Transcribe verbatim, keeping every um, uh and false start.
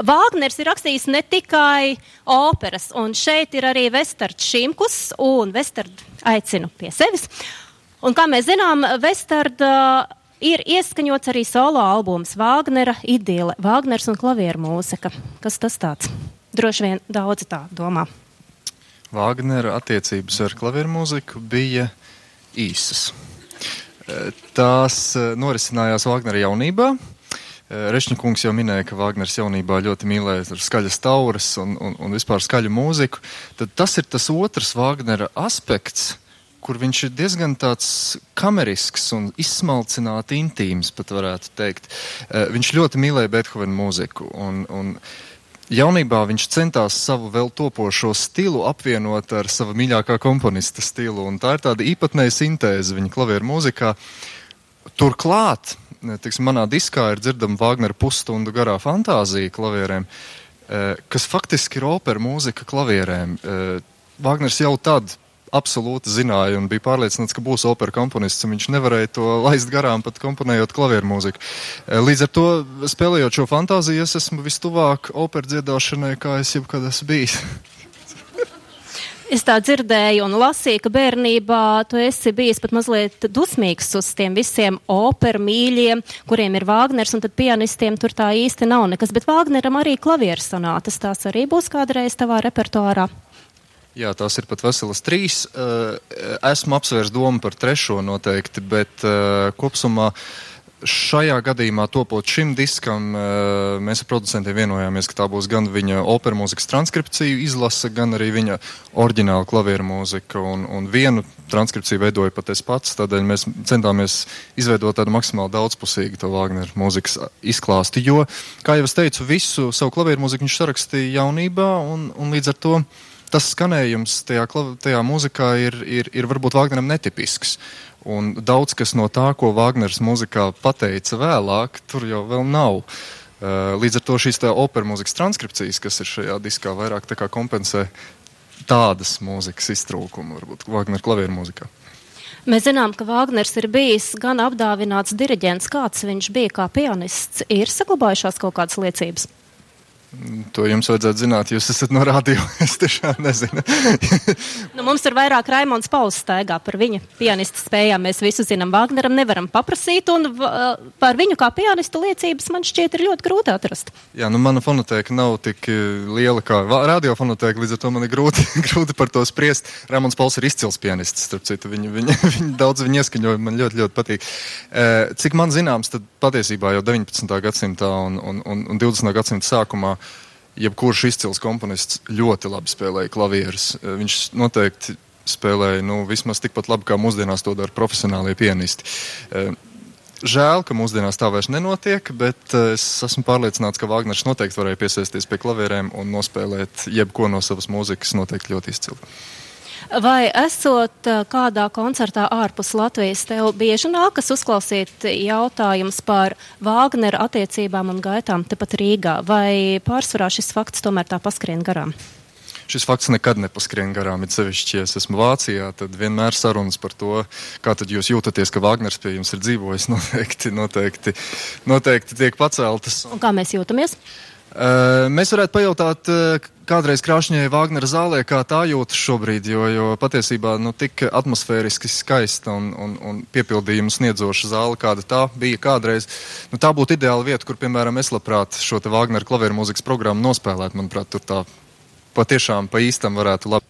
Vāgners ir rakstījis ne tikai operas, un šeit ir arī Vestards Šimkus, un Vestardu aicinu pie sevis. Un kā mēs zinām, Vestarda ir ieskaņots arī solo albums Vāgnera Idile, Vāgners un klavieru mūzika. Kas tas tāds? Droši vien daudzi tā domā. Vāgnera attiecības ar klavieru mūziku bija īsas. Tās norisinājās Vāgnera jaunībā. Rešņikungs jau minēja, ka Vāgners jaunībā ļoti mīlēja skaļas tauras un, un, un vispār skaļu mūziku. Tad tas ir tas otrs Vāgnera aspekts, kur viņš ir diezgan tāds kamerisks un izsmalcināti intīms, pat varētu teikt. Viņš ļoti mīlēja Beethovena mūziku, un, un jaunībā viņš centās savu vēl topošo stilu apvienot ar sava mīļākā komponista stilu, un tā ir tāda īpatnēja sintēze viņa klavieru mūzikā. Turklāt, tiksim, manā diskā ir dzirdama Vāgnera pusstundu garā fantāzija klavierēm, kas faktiski ir opera mūzika klavierēm. Vāgners jau tad absolūti zināja un bija pārliecināts, ka būs opera komponists, un viņš nevarēja to laist garām, pat komponējot klavieru mūziku. Līdz ar to, spēlējot šo fantāziju, es esmu vistuvāk opera dziedāšanai, kā es jebkad esmu bijis. Es tā dzirdēju un lasīju, ka bērnībā tu esi bijis pat mazliet dusmīgs uz tiem visiem operu mīļiem, kuriem ir Vāgners, un tad pianistiem tur tā īsti nav nekas. Bet Vāgneram arī klavieru sonātas, tās arī būs kādreiz tavā repertuārā? Jā, tās ir pat veselas trīs. Esmu apsvērs domu par trešo noteikti, bet kopsumā šajā gadījumā topot šim diskam, mēs ar producentiem vienojāmies, ka tā būs gan viņa opera mūzikas transkripciju izlase, gan arī viņa oriģināla klavieru mūzika, un, un vienu transkripciju veidoju pat es pats, tādēļ mēs centāmies izveidot tādu maksimāli daudzpusīgu to Vāgnera mūzikas izklāstu, jo, kā jau es teicu, visu savu klavieru mūziku viņš sarakstīja jaunībā, un, un līdz ar to tas skanējums tajā, tajā mūzikā ir, ir, ir varbūt Vāgneram netipisks. Un daudz kas no tā, ko Vāgners mūzikā pateica vēlāk, tur jau vēl nav. Līdz ar to šīs tā opera mūzikas transkripcijas, kas ir šajā diskā, vairāk tā kā kompensē tādas mūzikas iztrūkumu, varbūt Vāgnera klavieru mūzikā. Mēs zinām, ka Vāgners ir bijis gan apdāvināts diriģents, kāds viņš bija kā pianists. Ir saglabājušās kaut kādas liecības? To jums vajadzētu zināt, jūs esat no radio, es tiešām nezinu. Nu, mums ir vairāk Raimonds Pauls staigā par viņa pianista spējām, mēs visu zinām, Vāgneram nevaram paprasīt, un par viņu kā pianistu liecības man šķiet ir ļoti grūti atrast. Jā, nu mana fonotēka nav tik liela kā radio fonotēka, līdz ar to man ir grūti, grūti par to spriest. Raimonds Pauls ir izcils pianists, starp citu, viņa, viņa, viņa, daudz viņa ieskaņojumi man ļoti, ļoti patīk. Cik man zināms, tad patiesībā jau deviņpadsmitā gadsimtā un, un, un, un divdesmitā gadsimta sākumā jebkurš izcils komponists ļoti labi spēlēja klavierus. Viņš noteikti spēlēja, nu, vismaz tikpat labi, kā mūsdienās to dara profesionālie pianisti. Žēl, ka mūsdienās tā vairs nenotiek, bet es esmu pārliecināts, ka Vāgners noteikti varēja piesēsties pie klavierēm un nospēlēt jebko no savas mūzikas noteikti ļoti izcili. Vai esot kādā koncertā ārpus Latvijas, tev bieži nākas uzklausīt jautājums par Vāgnera attiecībām un gaitām tepat Rīgā, vai pārsvarā šis fakts tomēr tā paskrien garām? Šis fakts nekad nepaskrien garām, it sevišķi, ja es esmu Vācijā, tad vienmēr sarunas par to, kā tad jūs jūtaties, ka Vāgners pie jums ir dzīvojis, noteikti, noteikti, noteikti tiek paceltas. Un kā mēs jūtamies? Uh, mēs varētu pajautāt uh, kādreiz Krāšņai Vāgnera zālē, kā tā jūtas šobrīd, jo, jo patiesībā nu, tik atmosfēriski skaista un, un, un piepildījumu sniedzoša zāle, kāda tā bija kādreiz. Nu, tā būtu ideāla vieta, kur, piemēram, es labprāt šo te Vāgnera klavieru mūzikas programmu nospēlēt. Manuprāt, tur tā patiešām pa īstam varētu labi